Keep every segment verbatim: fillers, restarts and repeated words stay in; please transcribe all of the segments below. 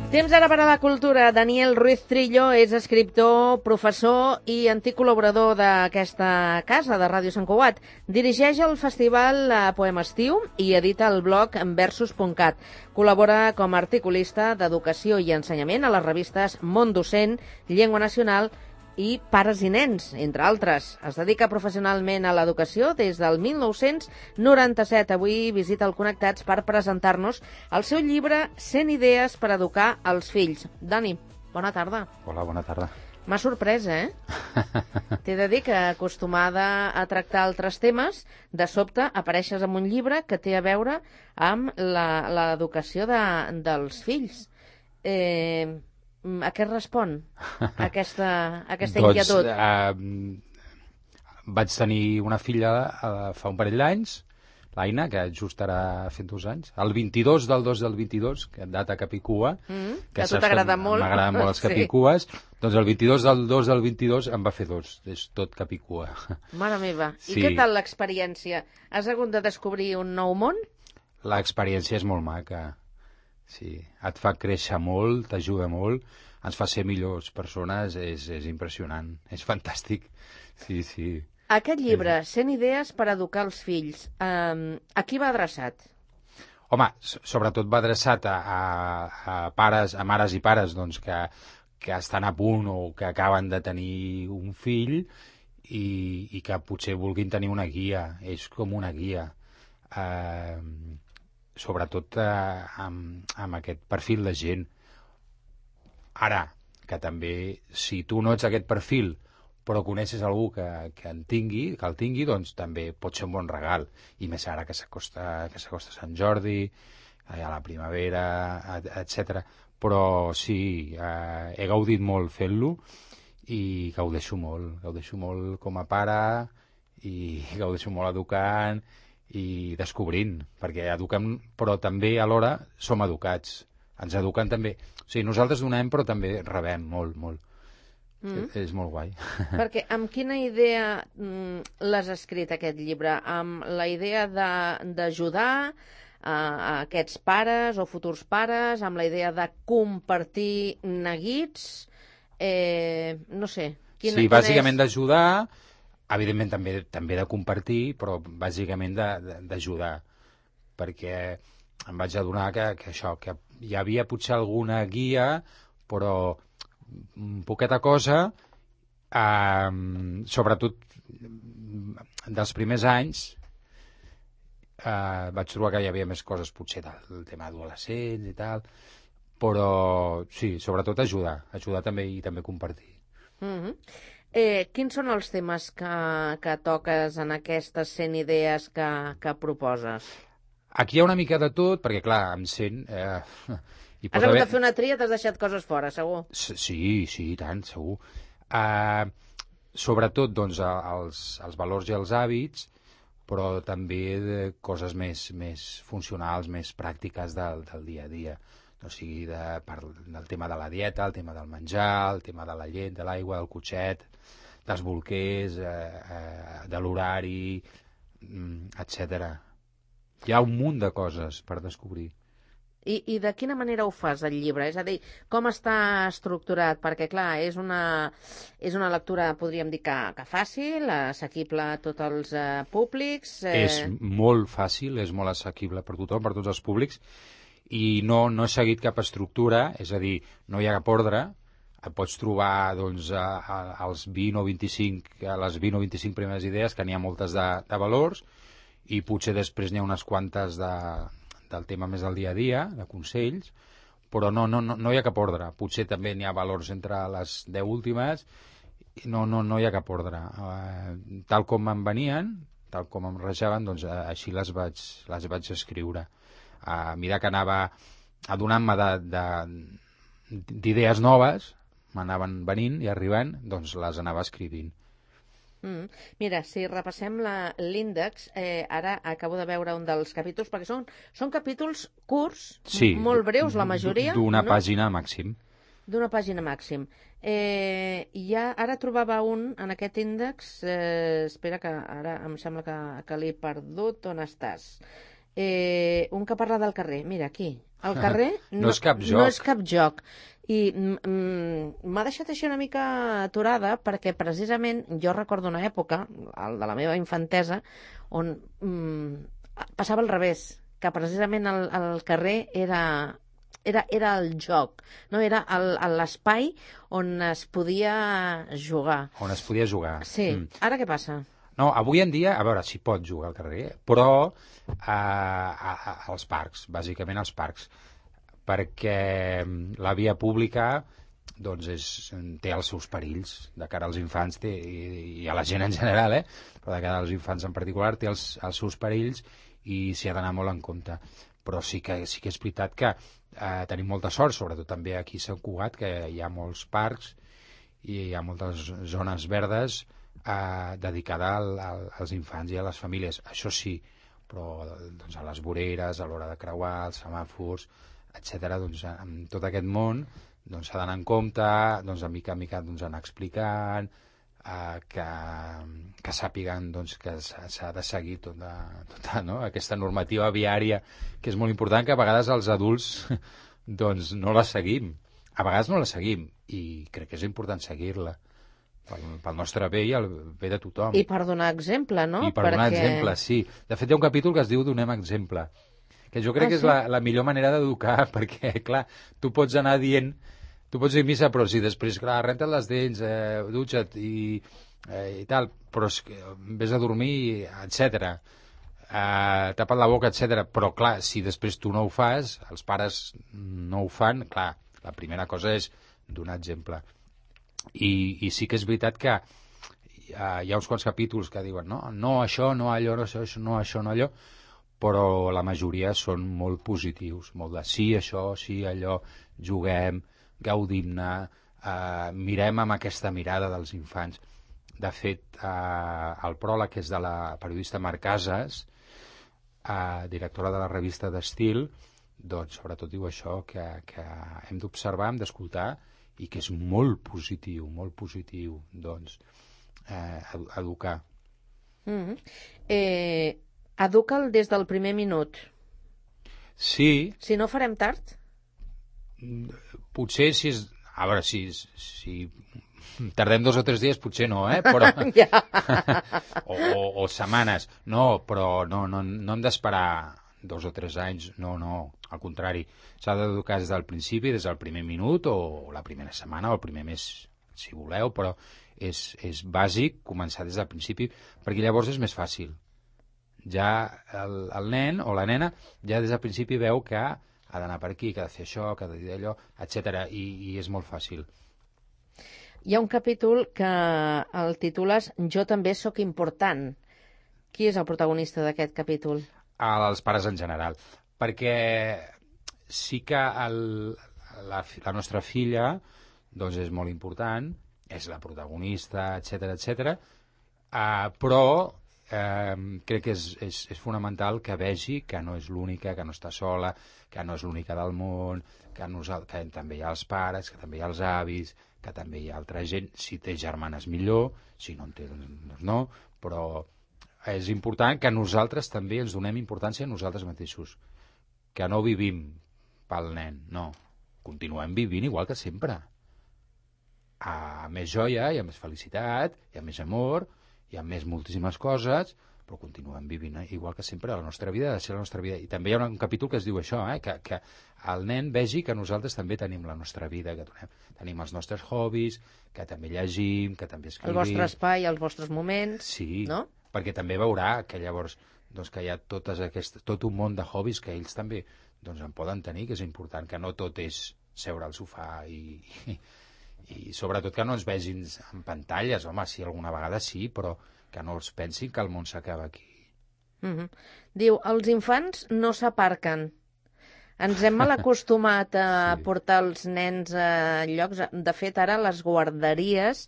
Temps ara per a la cultura. Daniel Ruiz Trillo és escriptor, professor i antic col·laborador d'aquesta casa de Ràdio Sant Cugat. Dirigeix el festival Poema Estiu i edita el blog versus punt cat. Col·labora com a articulista d'educació i ensenyament a les revistes Món Docent, Llengua Nacional i Pares i Nens, entre altres. Es dedica professionalment a l'educació des del mil nou-cents noranta-set. Avui visita el Connectats per presentar-nos el seu llibre cent idees per educar els fills. Dani, bona tarda. Hola, bona tarda. M'ha sorprès, eh? T'he de dir que, acostumada a tractar altres temes, de sobte apareixes amb un llibre que té a veure amb l'educació de, dels fills. Eh... A què respon aquesta, aquesta doncs, inquietud? Eh, vaig tenir una filla eh, fa un parell d'anys, l'Aina, que just ara fent dos anys, el vint-i-dos del dos del vint-i-dos, que data capicua, mm, que, que a tu t'agrada molt. M'agraden molt els capicues, sí. Doncs el vint-i-dos del dos del vint-i-dos em va fer dos, és tot capicua. Mare meva, sí. I què tal l'experiència? Has hagut de descobrir un nou món? L'experiència és molt maca. Sí, et fa créixer molt, t'ajuda molt, ens fa ser millors persones, és, és impressionant, és fantàstic. Sí, sí. Aquest llibre, cent idees per educar els fills, eh, a qui va adreçat? Home, sobretot va adreçat a, a, a pares, a mares i pares doncs, que, que estan a punt o que acaben de tenir un fill i, i que potser vulguin tenir una guia, és com una guia. Eh... sobretot eh, amb, amb aquest perfil de gent. Ara, que també, si tu no ets aquest perfil, però coneixes algú que, que en tingui, que el tingui, doncs també pot ser un bon regal. I més ara que s'acosta que s'acosta Sant Jordi, a la primavera, etcètera. Però sí, eh, he gaudit molt fent-lo i gaudeixo molt, gaudeixo molt com a pare i gaudeixo molt educant i descobrint, perquè eduquem, però també alhora som educats. Ens eduquen també. O sigui, nosaltres donem, però també rebem molt, molt. Mm. És molt guai. Perquè amb quina idea mm, l'has escrit, aquest llibre? Amb la idea d'ajudar a, a aquests pares o futurs pares, amb la idea de compartir neguits, eh, no sé. Quina, sí, bàsicament és... d'ajudar, evidentment també també de compartir, però bàsicament d'ajudar, perquè em vaig adonar que, que això, que hi havia potser alguna guia, però poqueta cosa, eh, sobretot dels primers anys, eh, vaig trobar que hi havia més coses potser del tema adolescents i tal, però sí, sobretot ajudar, ajudar també i també compartir. Mm-hmm. Eh, quins són els temes que, que toques en aquestes cent idees que, que proposes? Aquí hi ha una mica de tot, perquè clar, amb cent... Eh, hi Has hagut haver... de fer una tria, t'has deixat coses fora, segur? Sí, sí, i tant, segur. Eh, sobretot, doncs, els, els valors i els hàbits, però també de coses més, més funcionals, més pràctiques del, del dia a dia. O sigui, de, per, del tema de la dieta, el tema del menjar, el tema de la llet, de l'aigua, del cotxet, dels bolquers, eh, eh, de l'horari, etcètera. Hi ha un munt de coses per descobrir. I, I de quina manera ho fas, el llibre? És a dir, com està estructurat? Perquè, clar, és una, és una lectura, podríem dir, que, que fàcil, assequible a tots els eh, públics. Eh... És molt fàcil, és molt assequible per tothom, per tots els públics, i no, no he seguit cap estructura, és a dir, no hi ha cap ordre, et pots trobar doncs, a, a, als vint o vint-i-cinc, a les vint o vint-i-cinc primeres idees, que n'hi ha moltes de, de valors, i potser després n'hi ha unes quantes de, del tema més del dia a dia, de consells, però no, no, no, no hi ha cap ordre. Potser també n'hi ha valors entre les deu últimes, i no, no, no hi ha cap ordre. Uh, tal com em venien, tal com em rajaven, doncs uh, així les vaig, les vaig escriure. A mesura que anava adonant-me d'idees noves, m'anaven venint i arribant, doncs les anava escrivint. Mm. Mira, si repassem l'índex, eh, ara acabo de veure un dels capítols, perquè són, són capítols curts, sí, molt breus, la majoria. D'una no? pàgina màxim. D'una pàgina màxim. Eh, ja, ara trobava un en aquest índex, eh, espera que ara em sembla que, que l'he perdut, on estàs? Eh, un que parla del carrer. Mira, aquí. El carrer no, no, és cap joc. no és cap joc. I mm, m'ha deixat així una mica aturada perquè precisament jo recordo una època, el de la meva infantesa, on mm, passava al revés, que precisament el, el carrer era... Era, era el joc, no? Era l'espai on es podia jugar. On es podia jugar. Sí. Mm. Ara què passa? No, avui en dia, a veure, s'hi pot jugar al carrer, però eh, a, a, als parcs, bàsicament als parcs, perquè la via pública doncs és, té els seus perills de cara als infants té, i, i a la gent en general, eh? Però de cara als infants en particular té els, els seus perills i s'hi ha d'anar molt en compte. Però sí que, sí que és veritat que eh, tenim molta sort, sobretot també aquí a Sant Cugat, que hi ha molts parcs i hi ha moltes zones verdes eh, dedicada al, al, als infants i a les famílies. Això sí, però doncs, a les voreres, a l'hora de creuar, els semàfors, etcètera, doncs, en tot aquest món s'ha doncs, d'anar en compte, doncs, de mica en mica doncs, anar explicant, eh, que, que sàpiguen doncs, que s'ha de seguir tota, tota no? aquesta normativa viària, que és molt important, que a vegades els adults doncs, no la seguim. A vegades no la seguim, i crec que és important seguir-la pel, pel nostre bé i el bé de tothom. I per donar exemple, no? I per Perquè... donar exemple, sí. De fet, hi ha un capítol que es diu Donem exemple, que jo crec ah, que és sí? la, la millor manera d'educar, perquè, clar, tu pots anar dient, tu pots dir missa, però si després, clar, renta't les dents, eh, dutxa't i, eh, i tal, però és que vés a dormir, etcètera, eh, tapa't la boca, etcètera. Però, clar, si després tu no ho fas, els pares no ho fan, clar, la primera cosa és donar exemple. I, i sí que és veritat que hi ha, hi ha uns quants capítols que diuen no, no això, no allò, no això, no això, no allò, però la majoria són molt positius, molt de sí, això, sí, allò, juguem, gaudim-ne, eh, mirem amb aquesta mirada dels infants. De fet, eh, el pròleg, que és de la periodista Mar Casas, eh, directora de la revista d'Estil, doncs sobretot diu això, que, que hem d'observar, hem d'escoltar, i que és molt positiu, molt positiu, doncs, eh, educar. Mm-hmm. Eh... Educa'l des del primer minut. Sí. Si no farem tard? Potser si és... A veure, si, si tardem dos o tres dies, potser no, eh? Però... o, o, o setmanes. No, però no, no, no hem d'esperar dos o tres anys. No, no, al contrari. S'ha d'educar des del principi, des del primer minut, o la primera setmana, o el primer mes, si voleu, però és, és bàsic començar des del principi, perquè llavors és més fàcil. Ja el, el nen o la nena ja des del principi veu que ha d'anar per aquí, que ha de fer això, que ha de dir allò, etcètera. I, i és molt fàcil. Hi ha un capítol que el titules Jo també sóc important. Qui és el protagonista d'aquest capítol? Els pares en general. Perquè sí que el, la, la nostra filla doncs és molt important, és la protagonista, etcètera, etcètera, uh, però Eh, crec que és, és, és fonamental que vegi que no és l'única, que no està sola, que no és l'única del món, que, nosaltres, que també hi ha els pares, que també hi ha els avis, que també hi ha altra gent. Si té germanes millor, si no en té doncs no, però és important que nosaltres també ens donem importància a nosaltres mateixos, que no vivim pel nen, no, continuem vivint igual que sempre, a més joia, i a més felicitat, i a més amor, hi ha més moltíssimes coses, però continuem vivint igual que sempre. La nostra vida ha de ser la nostra vida. I també hi ha un capítol que es diu això, eh? que, que el nen vegi que nosaltres també tenim la nostra vida, que tenim, tenim els nostres hobbies, que també llegim, que també escrivim. El vostre espai, els vostres moments, sí, no? Perquè també veurà que llavors doncs, que hi ha totes aquestes, tot un món de hobbies que ells també doncs, en poden tenir, que és important, que no tot és seure al sofà i... i i sobretot que no ens vegin en pantalles, home, sí, alguna vegada sí, però que no els pensin que el món s'acaba aquí. Mm-hmm. Diu, els infants no s'aparquen. Ens hem mal acostumat a sí. portar els nens a llocs... De fet, ara les guarderies,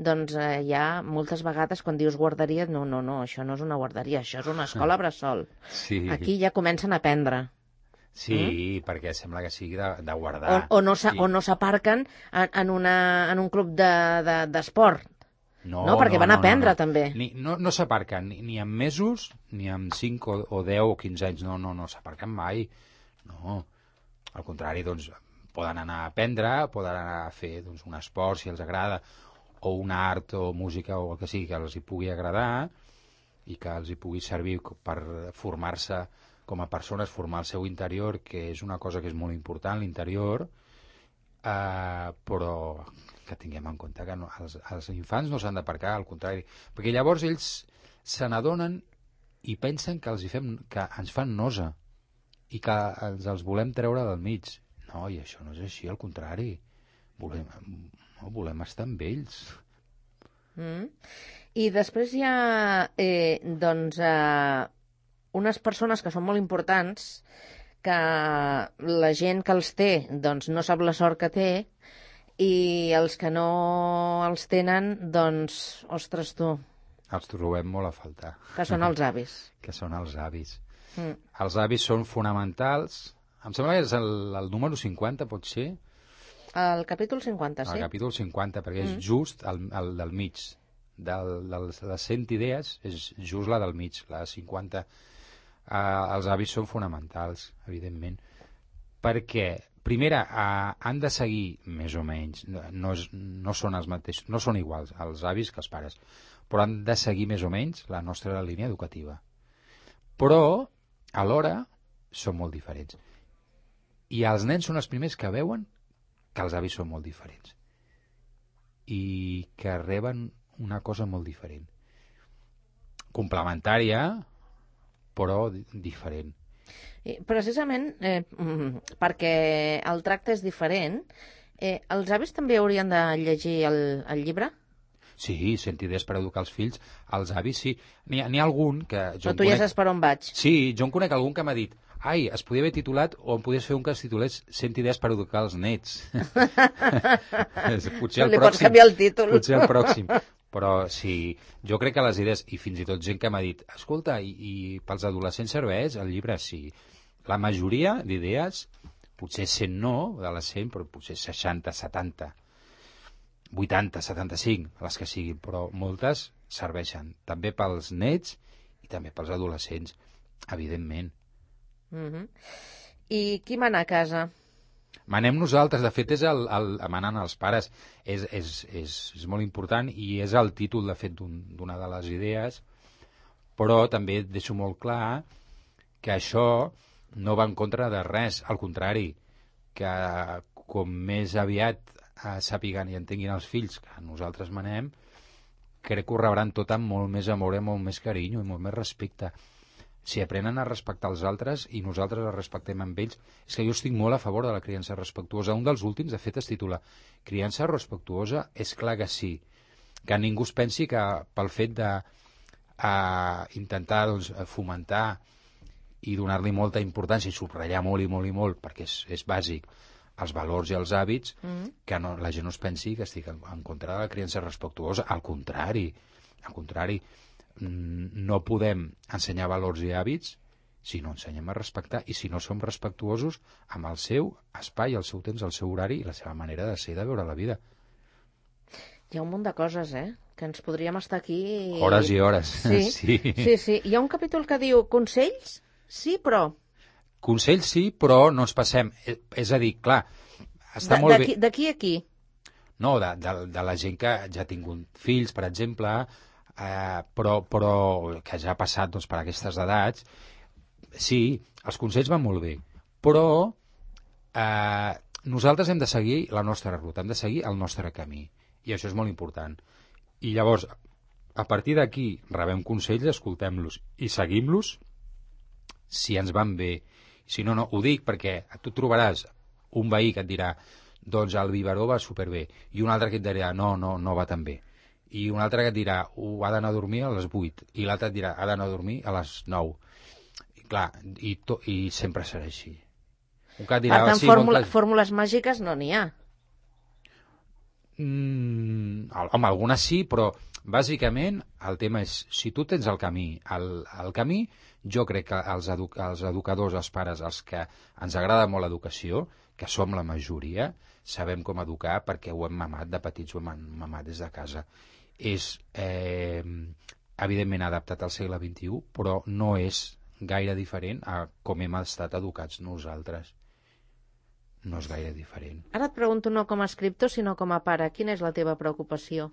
doncs eh, hi ha moltes vegades quan dius guarderia, no, no, no, això no és una guarderia, això és una escola bressol. Sí. Aquí ja comencen a aprendre. Sí, mm? perquè sembla que sigui de, de guardar. O, o no s'aparquen sí. en, en, una, en un club d'esport. De, de, No, no perquè no, van no, aprendre, no, no. també. Ni, no no s'aparquen ni, ni en mesos, ni en cinc o, o deu o quinze anys. No, no, no s'aparquen mai. No. Al contrari, doncs, poden anar a aprendre, poden anar a fer doncs, un esport, si els agrada, o un art o música o el que sigui que els hi pugui agradar i que els hi pugui servir per formar-se com a persones, formar el seu interior, que és una cosa que és molt important, l'interior, eh, però que tinguem en compte que no, els, els infants no s'han d'aparcar, al contrari, perquè llavors ells se n'adonen i pensen que, els hi fem, que ens fan nosa i que ens els volem treure del mig. No, i això no és així, al contrari. Volem, no, volem estar amb ells. Mm. I després hi ha eh, doncs, eh, unes persones que són molt importants, que la gent que els té doncs, no sap la sort que té, i els que no els tenen, doncs, ostres tu, Els trobem molt a faltar. que són els avis. Que són els avis. Mm. Els avis són fonamentals. Em sembla que és el, el número cinquanta, pot ser? El capítol cinquanta, sí. El capítol cinquanta, perquè és Mm. just el, el del mig. Del, del, de les cent idees, és just la del mig, la cinquanta. Uh, els avis són fonamentals, evidentment. Perquè, primera, uh, han de seguir, més o menys, no, és, no són els mateixos, no són iguals els avis que els pares, però han de seguir més o menys la nostra línia educativa. Però, alhora, són molt diferents. I els nens són els primers que veuen que els avis són molt diferents i que reben una cosa molt diferent. Complementària, però diferent. I precisament eh, mm, perquè el tracte és diferent, eh, els avis també haurien de llegir el, el llibre? Sí, cent idees per educar els fills. Els avis, sí. N'hi ha, n'hi ha algun que... Jo Però tu ja saps per on vaig. Sí, jo en conec algun que m'ha dit ai, es podia haver titulat o em podies fer un que es titulés cent idees per educar els nets. Potser el Li pròxim. pots canviar el títol. Potser el pròxim. Però sí, jo crec que les idees, i fins i tot gent que m'ha dit, escolta, i, i pels adolescents serveix el llibre? Sí. La majoria d'idees, potser cent no, de les cent, però potser seixanta, setanta, vuitanta, setanta-cinc, les que siguin, però moltes serveixen també pels nets i també pels adolescents, evidentment. Mm-hmm. I qui mana a casa? Manem nosaltres, de fet és el, el manen els pares, és, és, és, és molt important i és el títol de fet d'una de les idees, però també deixo molt clar que això no va en contra de res, al contrari, que com més aviat eh, sàpiguen i entenguin els fills que nosaltres manem, crec que ho rebran tot amb molt més amor i molt més carinyo i molt més respecte. Si aprenen a respectar els altres i nosaltres els respectem amb ells, és que jo estic molt a favor de la criança respectuosa. Un dels últims, de fet, es titula Criança respectuosa? És clar que sí. Que ningú es pensi que pel fet de uh, intentar doncs, fomentar i donar-li molta importància i subratllar molt i molt i molt, perquè és, és bàsic, els valors i els hàbits, mm. que no, la gent no es pensi que estic en, en contra de la criança respectuosa. Al contrari, al contrari, no podem ensenyar valors i hàbits si no ensenyem a respectar i si no som respectuosos amb el seu espai, el seu temps, el seu horari i la seva manera de ser i de veure la vida. Hi ha un munt de coses, eh? Que ens podríem estar aquí... Hores i hores. Sí, sí. sí, sí. Hi ha un capítol que diu consells, sí, però... Consells sí, però no ens passem. És a dir, clar, està de, molt bé... D'aquí a aquí? No, de, de, de la gent que ja ha tingut fills, per exemple... Uh, però, però que ja ha passat doncs, per aquestes edats, sí, els consells van molt bé, però uh, nosaltres hem de seguir la nostra ruta, hem de seguir el nostre camí, i això és molt important. I llavors, a partir d'aquí, rebem consells, escoltem-los i seguim-los si ens van bé. Si no, no, ho dic perquè tu trobaràs un veí que et dirà doncs el biberó va superbé, i un altre que et dirà no, no, no va tan bé. I un altre que et dirà uh, ha d'anar a dormir a les vuit, i l'altre et dirà ha d'anar a dormir a les nou. I, clar, i, to, i sempre serà així. Un que et dirà, per tant, sí, fórmula, moltes... fórmules màgiques no n'hi ha. Mm, home, algunes sí, però bàsicament el tema és, si tu tens el camí, el, el camí, jo crec que els, edu els educadors, els pares, els que ens agrada molt l'educació, que som la majoria, sabem com educar perquè ho hem mamat de petits, ho hem mamat des de casa. és eh, evidentment adaptat al segle vint-i-u, però no és gaire diferent a com hem estat educats nosaltres. No és gaire diferent. Ara et pregunto no com a escriptor, sinó com a pare. Quina és la teva preocupació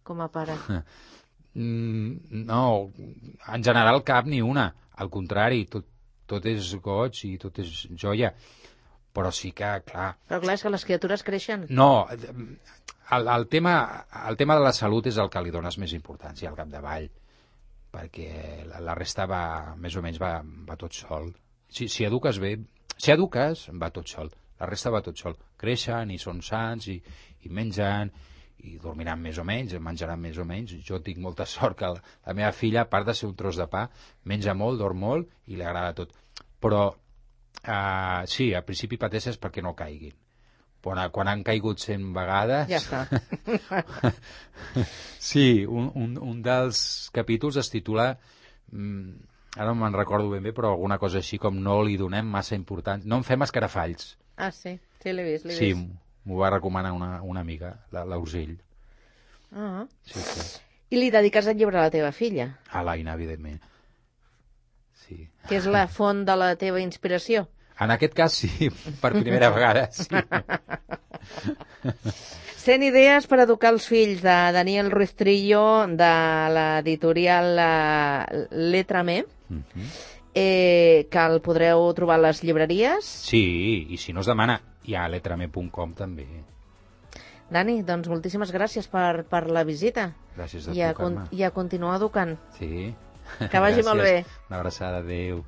com a pare? Mm, no, en general cap ni una. Al contrari, tot, tot és goig i tot és joia. Però sí que, clar... Però clar, és que les criatures creixen. No, el, el, tema, el tema de la salut és el que li dones més importància al capdavall, perquè la, la resta va, més o menys, va, va tot sol. Si, si eduques bé, si eduques, va tot sol. La resta va tot sol. Creixen i són sants i, i mengen i dormiran més o menys, menjaran més o menys. Jo tinc molta sort que la, la meva filla, a part de ser un tros de pa, menja molt, dorm molt i li agrada tot. Però uh, sí, al principi pateixes perquè no caiguin. Quan, quan han caigut cent vegades... Ja està. Sí, un, un, un dels capítols es titula... Mm, ara no me'n recordo ben bé, però alguna cosa així com no li donem massa importància. No en fem escarafalls. Ah, sí, sí, l'he vist, l'he sí, vist. Sí, m'ho va recomanar una, una amiga, l'Urgell. Ah. Sí, sí. I li dediques el llibre a la teva filla? A l'Aina, evidentment. Sí. Que és la font de la teva inspiració? En aquest cas, sí, per primera vegada, sí. cent idees per educar els fills, de Daniel Ruiz Trillo, de l'editorial Letra Me, uh-huh. eh, que el podreu trobar a les llibreries. Sí, i si no es demana, hi ha letrame punt com també. Dani, doncs moltíssimes gràcies per, per la visita. Gràcies a I a, tu, Carme. I a continuar educant. Sí. Que vagi molt bé. Una abraçada, adéu.